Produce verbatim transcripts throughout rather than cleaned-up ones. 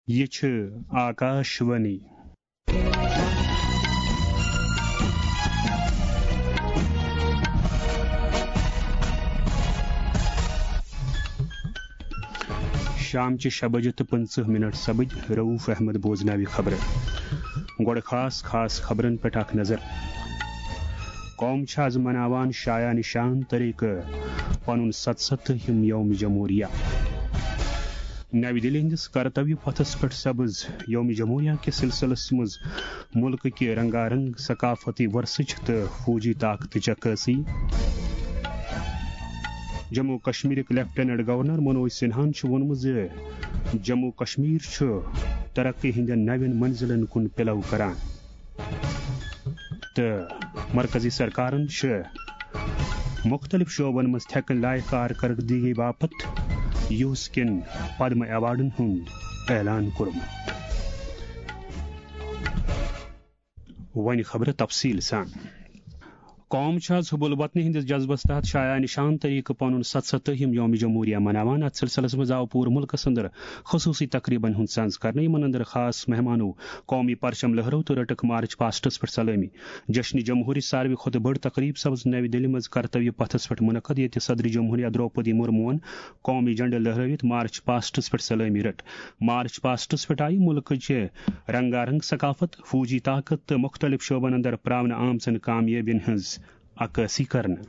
یہِ چھِ آکاش وانی۔ شامچہِ شےٚ بجہِ تہٕ پٕنٛژٕہ مِنٹ سپٕدۍ۔ رؤف احمد بوزناوِ خبرٕ۔ گۄڈٕ خاص خاص خبرن پٮ۪ٹھ اکھ نظر۔ قوم چھِ از مناوان شایان شان طریقہٕ پنُن ستستٲہِم یوم جمہوریہ۔ نَوِ دِلہِ ہٕنٛدِس کرتویہ پتھس پٮ۪ٹھ سبز یوم جمہوریہ کِس سلسلس منٛز مُلکہٕ کہِ رنگارنگ ثقافتی ورثٕچ تہٕ فوجی طاقتٕچ عکٲسی۔ جموں کشمیرٕکۍ لیفٹیننٹ گورنر منوج سنہاہن چھُ ووٚنمُت زِ جموں کشمیر چھُ ترقی ہٕنٛدٮ۪ن نوٮ۪ن منزلن کُن پِلو کران۔ تہٕ مرکزی سرکارن چھِ مُختٔلِف شعبن منٛز تھٮ۪کن لایق کارکردگی باپتھ یوٗس کٮ۪ن پدم ایوارڈن ہُنٛد اعلان کوٚرمُت۔ وۄنۍ خبرٕ تفصیٖل سان۔ قوم چھُ آز حب الوطنی ہٕنٛدِس جذبس تحت شایان شان طریقہٕ پنُن ستستٲہِم یوم جمہوریہ مناوان۔ اتھ سلسلس منٛز آو پوٗرٕ مُلکس اندر خصوٗصی تقریبن ہُنٛد سنز کرنہٕ، یِمن اندر خاص مہمانو قومی پرچم لہرٲو تہٕ رٔٹٕکھ مارچ پاسٹس پٮ۪ٹھ سلٲمی۔ جشن جمہوریہ ساروی کھۄتہٕ بٔڑ تقریب سپٕز نَوِ دِلہِ منٛز کرتویہ پتھس پٮ۪ٹھ منعقد، ییٚتہِ صدر جمہوریہ درٛوپدی مرموہن قومی جھنڈٕ لہرٲوِتھ مارچ پاسٹس پٮ۪ٹھ سلٲمی رٔٹ۔ مارچ پاسٹس پٮ۪ٹھ آیہِ مُلکٕچہِ رنگارنگ ثقافت، فوجی طاقت تہٕ مُختٔلِف شعبن اندر پراونہٕ آمژن کامیٲبین ہٕنٛز عکٲسی کرنہٕ۔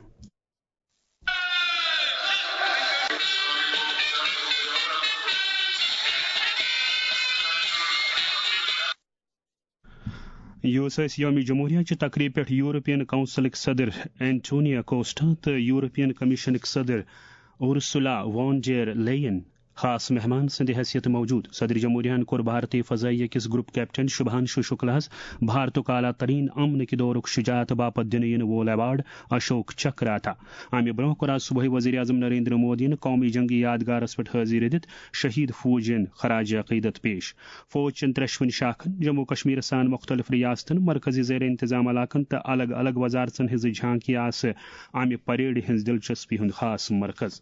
یُس أسۍ یوم جمہوریہ چہِ تقریب پٮ۪ٹھ یورپین کونسلٕکۍ صدر اینٹونیو کوسٹا تہٕ یورپین کمیشنٕکۍ صدر اورسولا وان ڈیر لیین خاص مہمان سٕنٛدِ حیثیت موجود۔ صدر جمہوریہن کوٚر بھارتی فضائیہ کِس گروپ کیپٹن شبھانشو شکلاہس بھارتُک اعلیٰ ترین امنٕکہِ دورُک شجاعت باپتھ دِنہٕ یِنہٕ وول ایوارڈ اشوک چکراتھا۔ امہِ برونٛہہ کوٚر آز صبحٲے وزیر اعظم نریندر مودیَن قومی جنگی یادگارس پٮ۪ٹھ حٲضری دِتھ شہید فوجین خراج عقیدت پیش۔ فوج چٮ۪ن ترٛٮ۪شوٕنی شاخن، جموں کشمیرس سان مُختٔلِف ریاستن، مرکزی زیر انتظام علاقن تہٕ الگ الگ وزارژن ہٕنٛزٕ جھانکی آسہٕ امہِ پریڈ ہٕنٛز دلچسپی ہُنٛد خاص مرکز۔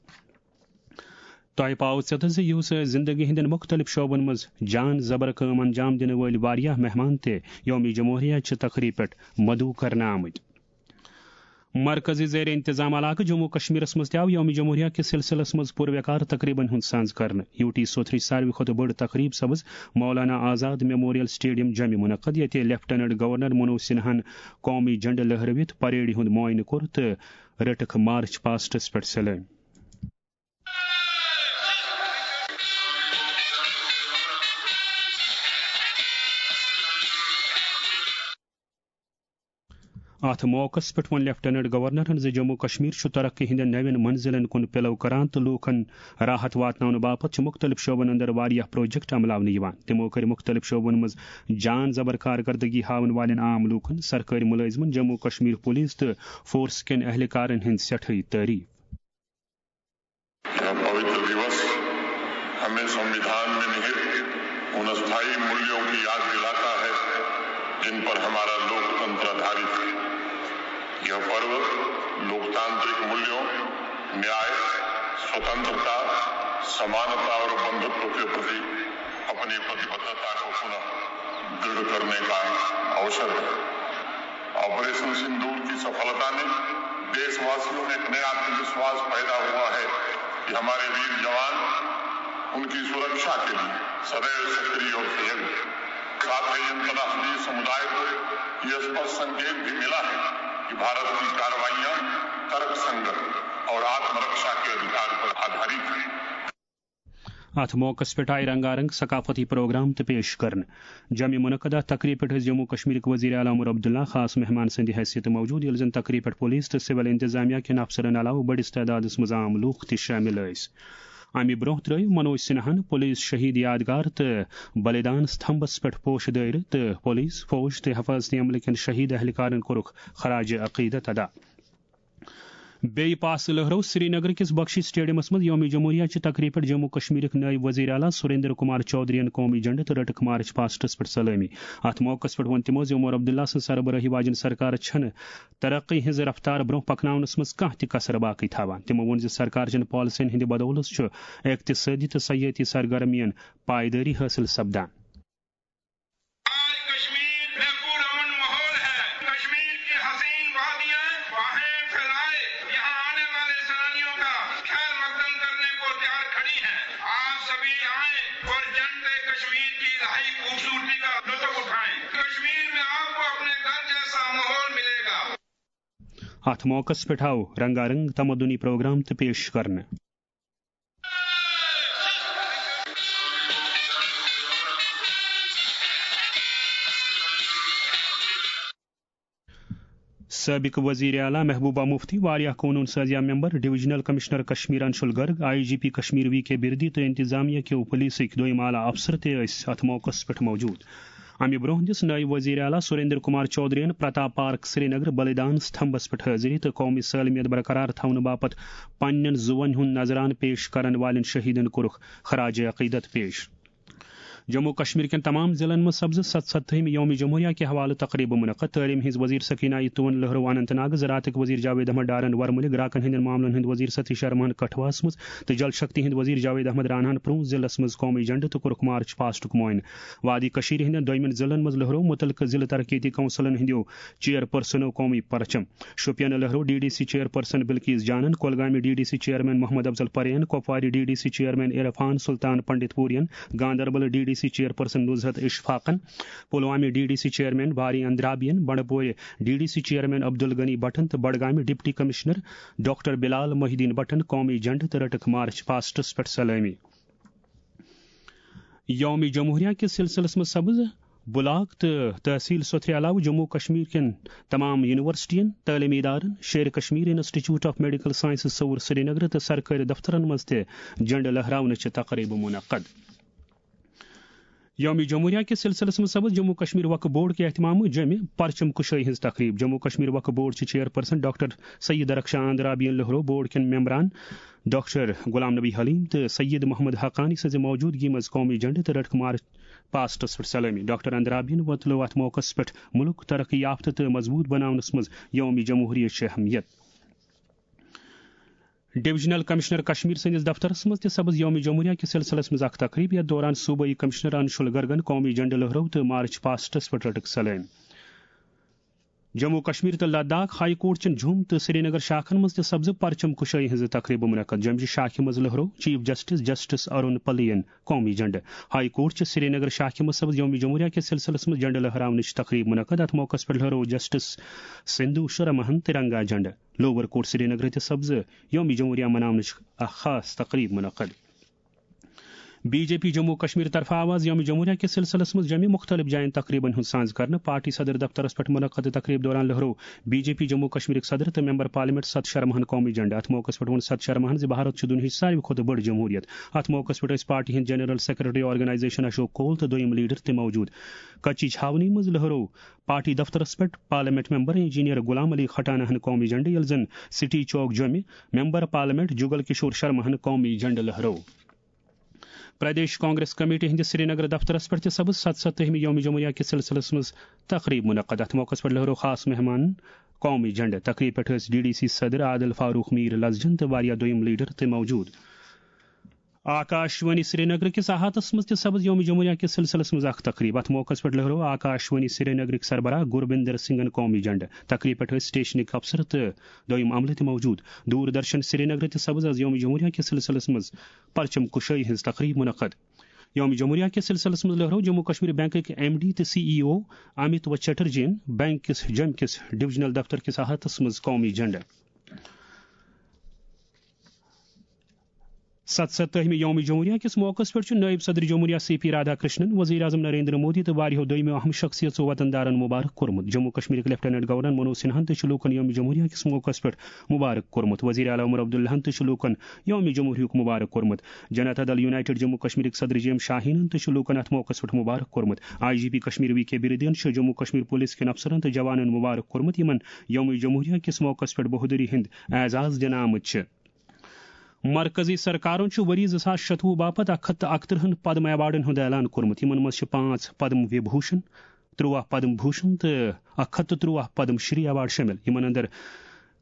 تۄہہِ پاوٕ ژیتس زِ یُس زندگی ہٕنٛدٮ۪ن مُختٔلِف شعبن منٛز جان زبر کٲم انجام دِنہٕ وٲلۍ واریاہ مہمان تہِ یوم جمہوریہ چہِ تقریب پٮ۪ٹھ مدعو کرنہٕ آمٕتۍ۔ مرکزی زیر انتظام علاقہٕ جموں کشمیرس منٛز تہِ آو یوم جمہوریہ کِس سلسلس منٛز پُروقار تقریبن ہُنٛد سنز کرنہٕ۔ یو ٹی سوتھرٕچ ساروی کھۄتہٕ بٔڑ تقریب سپٕز مولانا آزاد میموریل سٹیڈیم جوٚمہِ منعقد، ییٚتہِ لیفٹیننٹ گورنر منوج سنہاہن قومی جھنڈٕ لہرٲوِتھ پریڈہِ ہُنٛد معائنہٕ کوٚر تہٕ رٔٹٕکھ مارچ پاسٹس پٮ۪ٹھ سلٲمۍ۔ اتھ موقعس پٮ۪ٹھ ووٚن لیفٹیننٹ گورنرن زِ جموں کشمیر چھُ ترقی ہٕنٛدٮ۪ن نوٮ۪ن منزلن کُن پِلو کران تہٕ لوٗکن راحت واتناونہٕ باپتھ چھِ مُختٔلِف شعبن اندر واریاہ پروجیکٹ عملاونہٕ یِوان۔ تِمو کٔرۍ مُختٔلِف شعبن منٛز جان زبر کارکردگی ہاوَن والٮ۪ن عام لوٗکن، سرکٲرۍ مُلٲزمن، جموں کشمیر پولیس تہٕ فورس کٮ۪ن اہلکارن ہٕنٛز سٮ۪ٹھٲے تعریف۔ यह पवित्र दिवस हमें संविधान में निहित उन स्थायी मूल्यों की याद दिलाता है, जिन पर हमारा लोकतंत्र आधारित है। यह पर्व लोकतांत्रिक मूल्यों, न्याय, स्वतंत्रता, समानता और बंधुत्व के प्रति अपनी प्रतिबद्धता को पुनः दृढ़ करने का अवसर है। ऑपरेशन सिंदूर की सफलता ने देशवासियों में एक नया आत्मविश्वास पैदा हुआ है कि हमारे वीर जवान उनकी सुरक्षा के लिए सदैव सक्रिय और सजग हैं। साथ ही अंतर्राष्ट्रीय समुदाय को यह स्पष्ट संकेत भी मिला है कि भारत की कार्रवाइयां तर्कसंगत और आत्मरक्षा के अधिकार पर आधारित हैं। اتھ موقعس پٮ۪ٹھ آیہِ رنگارنگ ثقافتی پروگرام تہِ پیش کرنہٕ۔ جوٚمہِ منعقدہ تقریب پٮ۪ٹھ ٲسۍ جموں کشمیرٕکۍ وزیر اعلیٰ عمر عبداللہ خاص مہمان سٕنٛدِ حیثیت موجود، ییٚلہِ زن تقریب پٮ۪ٹھ پولیس تہٕ سول انتظامیہ کٮ۪ن افسرن علاوٕ بٔڑِس تعدادس منٛز عام لوٗکھ تہِ شٲمِل ٲسۍ۔ امہِ برونٛہہ ترٲوۍ منوج سنہاہن پولیس شہید یادگار تہٕ بلیدان ستمبھس پٮ۪ٹھ پوشہٕ دٲیرٕ تہٕ پولیس، فوج تہٕ حفاظتی عملہٕ کٮ۪ن شہید اہلکارن کوٚرُکھ خراج عقیدت ادا۔ بیٚیہِ پاسہٕ لٔہرٲو سرینگر کِس بخشی سٹیڈیمس منٛز یوم جمہوریہ چہِ تقریبہِ پٮ۪ٹھ جموں کشمیرٕکۍ نٲیِب وزیر اعلیٰ سریندر کمار چودھرین قومی جھنڈٕ تہٕ رٔٹٕکھ مارچ پاسٹس پٮ۪ٹھ سلٲمی۔ اتھ موقعس پٮ۪ٹھ ووٚن تِمو زِ عمر عبداللہ سٕنٛز سربرٲہی واجٮ۪ن سرکار چھنہٕ ترقی ہٕنٛز رفتار برونٛہہ پکناونس منٛز کانٛہہ تہِ کسر باقٕے تھاوان۔ تِمو ووٚن زِ سرکار چٮ۪ن پالیسین ہٕنٛدِ بدولژ چھُ اقتصٲدی تہٕ سیٲحتی سرگرمین پائیدٲری حٲصِل سپدان۔ آج کشمیر میں پرامن ماحول ہے۔ کشمیر کی حسین وادیاں باہیں پھیلائے، یہاں آنے والے سیلانیوں کا خیر مقدم کرنے کو تیار کھڑی ہیں۔ آپ سبھی آئیں اور جنت کشمیر کی الہی خوبصورتی کا لطف اٹھائیں۔ کشمیر میں آپ کو اپنے گھر جیسا ماحول ملے گا۔ اتھ موقعس پٮ۪ٹھ آو رنگا رنگ تمدنی پروگرام تہِ پیش کرنہٕ۔ سابق وزیر اعلیٰ محبوبہ مفتی، واریاہ قونوٗن سازیہ member, divisional commissioner Kashmir Anshul Garg, I G P Kashmir V K Birdi تہٕ انتظامیہ کیو پولیسٕکۍ دوٚیِم اعلیٰ افسر تہِ ٲسۍ اتھ موقعس پٮ۪ٹھ موجود۔ امہِ برونٛہہ دِژ نٲیِب وزیر اعلیٰ سریندر کمار چودھرین پرتاپ پارک سرینگر بلیدان ستمبھس پٮ۪ٹھ حٲضری تہٕ قومی سالمیت برقرار تھاونہٕ باپتھ پننٮ۪ن زُوَن ہُنٛد نذرانہٕ پیش کرن والٮ۪ن شہیدن کوٚرُکھ خراج عقیدت پیش۔ جموں کشمیر کٮ۪ن تمام ضلعن منٛز سپزٕ ستستھمہِ یوم جمہوریہ کہِ حوالہٕ تقریبہٕ منعقد۔ تعلیٖم ہٕنٛز وزیر سکینہ آیتون لہرو اننت ناگ، زراعتٕکۍ وزیر جاوید احمد ڈارن ورمُلہِ، گراکن ہٕنٛدٮ۪ن معاملن ہٕنٛدۍ وزیر ستیش شرماہن کٹھواہس منٛز تہٕ جل شکتی ہٕنٛدۍ وزیر جاوید احمد راناہن پرٛونٛہہ ضلعس منٛز قومی جھنڈٕ تہٕ کوٚرُکھ مارچ پاسٹُک معائنہٕ۔ وادی کشمیر ہٕنٛدٮ۪ن دوٚیمٮ۪ن ضلعن منٛز لہرو مُتعلقہٕ ضلعہٕ ترقیتی کونسلن ہٕنٛدیو چیئر پرسنو قومی پرچم۔ شوپین لہرو D D C chairperson Bilqees جانن، کۄلگامہِ D D C chairman Mohammad Afzal پرین، کۄپوارِ D D C chairman Irfan Sultan Pandit پورین، Ganderbal D D C chairperson Nuzhat اشفاقن، پلوامہِ D D C chairman Bari اندرابین، بنڈپورِ D D C chairman Abdul Ghani بٹن تہٕ بڈگامہِ deputy commissioner doctor Bilal Mohiuddin بٹن قومی جھنڈٕ تہٕ رٔٹٕکھ مارچ پاسٹس پٮ۪ٹھ سلٲمی۔ یوم جمہوریہ کِس سلسلس منٛز سپز بلاک تہٕ تحصیل سوتھرِ علاوٕ جموں کشمیر کٮ۪ن تمام یونیورسٹین، تعلیمی ادارن، Sher Kashmir institute of medical sciences Soura Srinagar تہٕ سرکٲرۍ دفترن منٛز تہِ جھنڈٕ لہراونٕچہِ تقریبہٕ منعقد۔ یوم جمہوریہ کِس سلسلس منٛز سپز جموں کشمیر وقف بورڈ کہِ اہتمامہٕ جمہِ پرچم کشٲیی ہٕنٛز تقریب۔ جموں کشمیر وقف بورڈ چہِ chairperson doctor Syed Darakhshan اندرابین لہرو بورڈ کٮ۪ن ممبران ڈاکٹر غلام نبی حلیم تہٕ سید محمد حقانی سٕنٛزِ موجودگی منٛز قومی جھنڈٕ تہٕ رٔٹٕکھ مارچ پاسٹس پٮ۪ٹھ سلٲمی۔ ڈاکٹر اندرابین وۄتلٲو اتھ موقعس پٮ۪ٹھ مُلک ترقی یافتہٕ تہٕ مضبوٗط بناونس منٛز یوم جمہوریہ چہِ اہمیت۔ ڈویژنل کمشنر کشمیر سٕنٛدِس دفترس منٛز تہِ سپز یوم جمہوریہ کِس سلسلس منٛز اکھ تقریب، یتھ دوران صوبٲئی کمشنر انشول گرگن قومی جھنڈٕ لہرٲو تہٕ مارچ پاسٹس پٮ۪ٹھ رٔٹٕکھ سلٲمۍ۔ جموں کشمیر تہٕ لداخ ہائی کورٹ چٮ۪ن جھوم تہٕ سرینگر شاخن منٛز تہِ سپزٕ پرچم کشٲیی ہٕنٛزٕ تقریبہٕ منعقد۔ جمجہِ شاخہِ منٛز لہرٲو چیف جسٹس جسٹس ارون پلین قومی جھنڈٕ۔ ہائی کورٹ چھِ سرینگر شاخہِ منٛز سپز یوم جمہوریہ کِس سلسلس منٛز جھنڈٕ لہراونٕچ تقریب منعقد۔ اتھ موقعس پٮ۪ٹھ لہرٲو جسٹس سندھو شرماہن ترنگا جھنڈٕ۔ لوور کورٹ سرینگر تہِ سپزٕ یوم جمہوریہ مناونٕچ اکھ خاص تقریب منعقد۔ B J P Jammu Kashmir طرفہٕ آو از یوم جمہوریہ کِس سلسلس منٛز جمہِ مختلف جاین تقریبن ہُنٛد سانز کرنہٕ۔ پارٹی صدر دفترس پٮ۪ٹھ منعقد تقریب دوران لہرٲو بی جے پی جموں کشمیرٕکۍ صدر تہٕ ممبر پارلیمنٹ ست شرماہن قومی جھنڈٕ۔ اتھ موقعس پٮ۪ٹھ ووٚن ست شرماہن زِ بھارت چھُ دُنیاہٕچ ساروی کھۄتہٕ بٔڑ جمہوریت۔ اتھ موقعس پٮ۪ٹھ ٲسۍ پارٹی ہٕنٛدۍ جنرل سیکرٹری آرگنائزیشن اشوک کول تہٕ دوٚیِم لیڈر تہِ موجود۔ کچی چھاونی منٛز لہرٲو پارٹی دفترس پٮ۪ٹھ parliament member engineer Ghulam Ali Khatana ہن قومی جھنڈٕ، ییٚلہِ زن سٹی چوک جوٚمہِ ممبر پارلیمنٹ جگل کشور شرما ہن قومی جھنڈٕ لہرٲو۔ پردیش کانگریس کمیٹی ہٕنٛدِس سرینگر دفترس پٮ۪ٹھ تہِ سپز ستستھمہِ یوم جمہوریہ کِس سلسلس منٛز تقریب منعقد۔ اتھ موقعس پٮ۪ٹھ لہرٲو خاص مہمان قومی جھنڈٕ۔ تقریب پٮ۪ٹھ ٲسۍ ڈی ڈی سی صدر عادل فاروق میر لزجن تہٕ واریاہ دوٚیِم لیڈر تہِ موجود۔ آکاش وانی سرینگر کِس احاطس منٛز تہِ سپز یوم جمہوریہ کِس سلسلس منٛز اکھ تقریب۔ اتھ موقعس پٮ۪ٹھ لہرٲو آکاش وانی سرینگرٕکۍ سربراہ گوربندر سنگھن قومی جھنڈٕ۔ تقریب پٮ۪ٹھ ٲسۍ سٹیشنٕکۍ افسر تہٕ دوٚیِم عملہٕ تہِ موجود۔ دوردرشن سرینگر تہِ سپز از یوم جمہوریہ کِس سلسلس منٛز پرچم کشٲیی ہٕنٛز تقریب منعقد۔ یوم جمہوریہ کِس سلسلس منٛز لہرٲو جموں کشمیر بینکٕکۍ ایم ڈی تہٕ سی ای او امیت و چٹرجین بینک کِس جوٚمہِ کِس ڈویژنل دفتر کِس احاطس منٛز قومی جھنڈٕ۔ ستستٲہمہِ یوم جمہوریہ کِس موقعس پٮ۪ٹھ چھُ نٲیِب صدر جمہوریہ سی پی رادھا کرشنن، وزیر اعظم نریندر مودی تہٕ واریاہو دوٚیمو اہم شخصیژو وطن دارن مبارک کوٚرمُت۔ جموں کشمیرٕکۍ لیفٹیننٹ گورنر منوج سنہاہن تہِ چھُ لوٗکن یوم جمہوریہ کِس موقعس پٮ۪ٹھ مبارک کوٚرمُت۔ وزیر اعلیٰ عمر عبداللہن تہِ چھُ لوٗکن یوم جمہوریہُک مبارک کوٚرمُت۔ جنتا دل یونائیٹڈ جموں کشمیرٕکۍ صدر جی ایم شاہینن تہِ چھُ لوٗکن اتھ موقعس پٮ۪ٹھ مبارک کوٚرمُت۔ I G P Kashmir V K بِرٕدین چھُ جموں کشمیر پولیس کٮ۪ن افسرن تہٕ جوانن مبارک کوٚرمُت، یِمن یوم جمہوریہ کِس موقعس پٮ۪ٹھ بہادری ہٕنٛدۍ اعزاز دِنہٕ آمٕتۍ چھِ۔ مرکزی سرکارن چھُ ؤری زٕ ساس شتوُہ باپتھ اکھ ہتھ تہٕ اکترٕہن پدم ایوارڈن ہُنٛد اعلان کوٚرمُت۔ یِمن منٛز چھِ پانٛژھ پدم وِبھوشن، ترٛواہ پدم بھوشن تہٕ اکھ ہتھ تہٕ ترٛواہ پدم شری ایوارڈ شٲمِل۔ یِمن اندر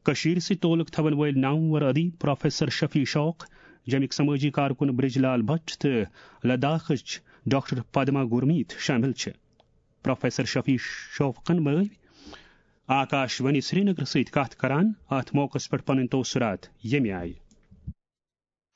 کٔشیٖرِ سۭتۍ تعلق تھاون وٲلۍ نامور ادیب پروفیسر شفیع شوق، جمِکۍ سمٲجی کارکُن برج لال بٹ تہٕ لداخٕچ ڈاکٹر پدما گورمیت شٲمِل چھِ۔ پروفیسر شفیع شوقن بٲوۍ آکاش وانی سرینگر سۭتۍ کتھ کران اتھ موقعس پٮ۪ٹھ پنٕنۍ تاثرات ییٚمہِ آیہِ۔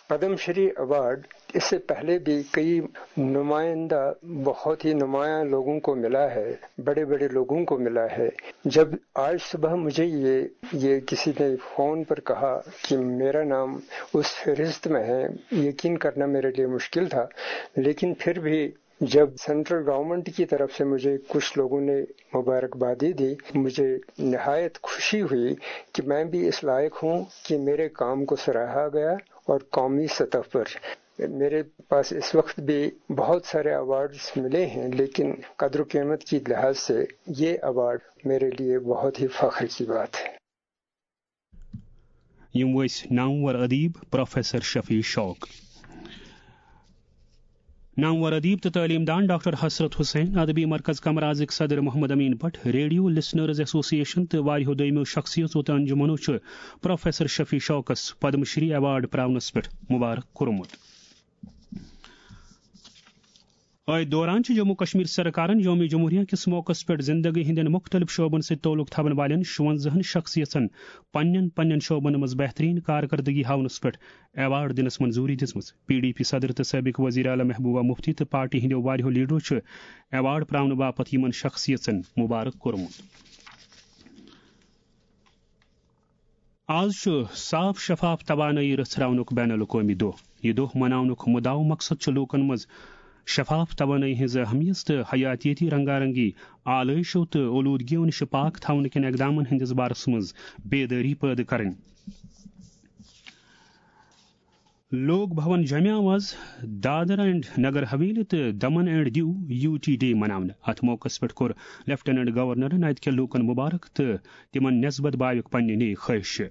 پدم شری ایوارڈ اس سے پہلے بھی کئی نمائندہ، بہت ہی نمایاں لوگوں کو ملا ہے، بڑے بڑے لوگوں کو ملا ہے۔ جب آج صبح مجھے یہ یہ کسی نے فون پر کہا کہ میرا نام اس فہرست میں ہے، یقین کرنا میرے لیے مشکل تھا، لیکن پھر بھی جب سینٹرل گورنمنٹ کی طرف سے مجھے کچھ لوگوں نے مبارکبادی دی، مجھے نہایت خوشی ہوئی کہ میں بھی اس لائق ہوں کہ میرے کام کو سراہا گیا اور قومی سطح پر۔ میرے پاس اس وقت بھی بہت سارے ایوارڈز ملے ہیں، لیکن قدر و قیمت کی لحاظ سے یہ ایوارڈ میرے لیے بہت ہی فخر کی بات ہے۔ یِم ٲسۍ نامور ادیب پروفیسر شفیع شوق۔ نامور ادیب تہٕ تعلیٖم دان ڈاکٹر حسرت حسین، ادبی مرکز کمرازٕکۍ صدر Mohammad Amin Bhat, radio listeners association تہٕ واریاہو دوٚیمو شخصیژو تہٕ انجمنو چھُ پروفیسر شفیع شوقس پدم شری ایوارڈ پراونس پٮ۪ٹھ مبارک کوٚرمُت۔ أتھۍ دوران چھِ جموں کشمیر سرکارن یوم جمہوریہ کِس موقعس پٮ۪ٹھ زندگی ہٕنٛدٮ۪ن مُختٔلِف شعبن سۭتۍ تعلق تھاون والٮ۪ن شُوَنزاہن شخصیژن پننٮ۪ن پننٮ۪ن شعبن منٛز بہتریٖن کارکردگی ہاونس پٮ۪ٹھ ایوارڈ دِنس منظوٗری دِژمٕژ۔ پی ڈی پی صدر تہٕ سٲبق وزیر اعلیٰ محبوبہ مفتی تہٕ پارٹی ہٕنٛدیو واریاہو لیڈرو چھِ ایوارڈ پراونہٕ باپتھ یِمن شخصیژن مبارک کوٚرمُت۔ آز چھُ صاف شفاف توانٲیی رژھراونُک بین الاقوٲمی دۄہ۔ یہِ دۄہ مناونُک مُدعا و مقصد چھُ لوٗکن منٛز شفاف توانٲیی ہٕنٛز اہمیت تہٕ حیاتیٲتی رنگارنگی، آلٲیشو تہٕ اولوٗدگیو نِش پاک تھاونہٕ کٮ۪ن اقدامن ہٕنٛدِس بارس منٛز بیدٲری پٲدٕ کرٕنۍ۔ لوک بھون جمعہ منٛز دادر اینڈ نگر حویلی تہٕ Daman and Diu U T day مناونہٕ۔ اتھ موقعس پٮ۪ٹھ کوٚر لیفٹیننٹ گورنرن اتہِ کٮ۪ن لوٗکن مبارک تہٕ تِمن نسبت بایُک پننہِ نیک خواہش۔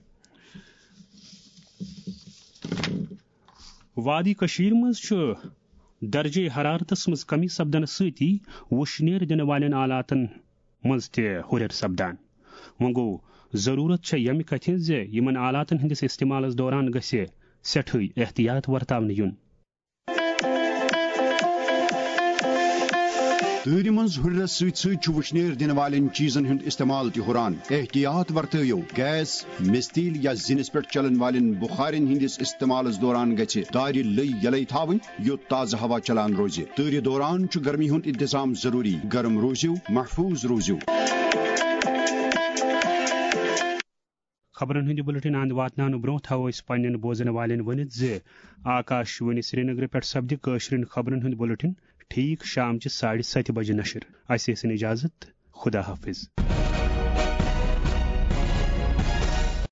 وادی کٔشیٖر منٛز چھُ درجے حرارتس منٛز کمی سپدنہٕ سۭتی وُشنیر دِنہٕ والٮ۪ن آلاتن منٛز تہِ ہُرٮ۪ر سپدان۔ وۄنۍ گوٚو، ضروٗرت چھےٚ ییٚمہِ کتھِ ہٕنٛز زِ یِمن آلاتن ہٕنٛدِس استعمالس دوران گژھِ سٮ۪ٹھٕے احتیاط ورتاونہٕ یُن۔ تۭرِ منٛز ہُرٮ۪رس سۭتۍ سۭتۍ چھُ وُشنیر دِنہٕ والٮ۪ن چیٖزن ہُنٛد استعمال تہِ ہُران۔ احتیاط ورتٲوِو، گیس، مِستیٖل یا زِنِس پٮ۪ٹھ چلن والٮ۪ن بُخارٮ۪ن ہٕنٛدِس استعمالس دوران گژھِ دارِ لٔۍ یلے تھاوٕنۍ، یوٚت تازٕ ہوا چلان روزِ۔ تۭرِ دوران چھُ گرمی ہُنٛد انتظام ضروٗری۔ گرم روٗزِو، محفوٗظ روٗزِو۔ خبرن ہُنٛد یہِ بُلٹن اند واتناونہٕ برٛونٛہہ تھاوو أسۍ پننٮ۪ن بوزن والٮ۪ن ؤنِتھ زِ آکاش وانی سرینگرٕ پٮ۪ٹھ سپدِ کٲشرٮ۪ن خبرن ہُنٛد بُلٹن ٹھیٖک شام چہِ ساڑِ ستہِ بجہِ نشر۔ اسہِ ٲسِن اجازت۔ خدا حافظ۔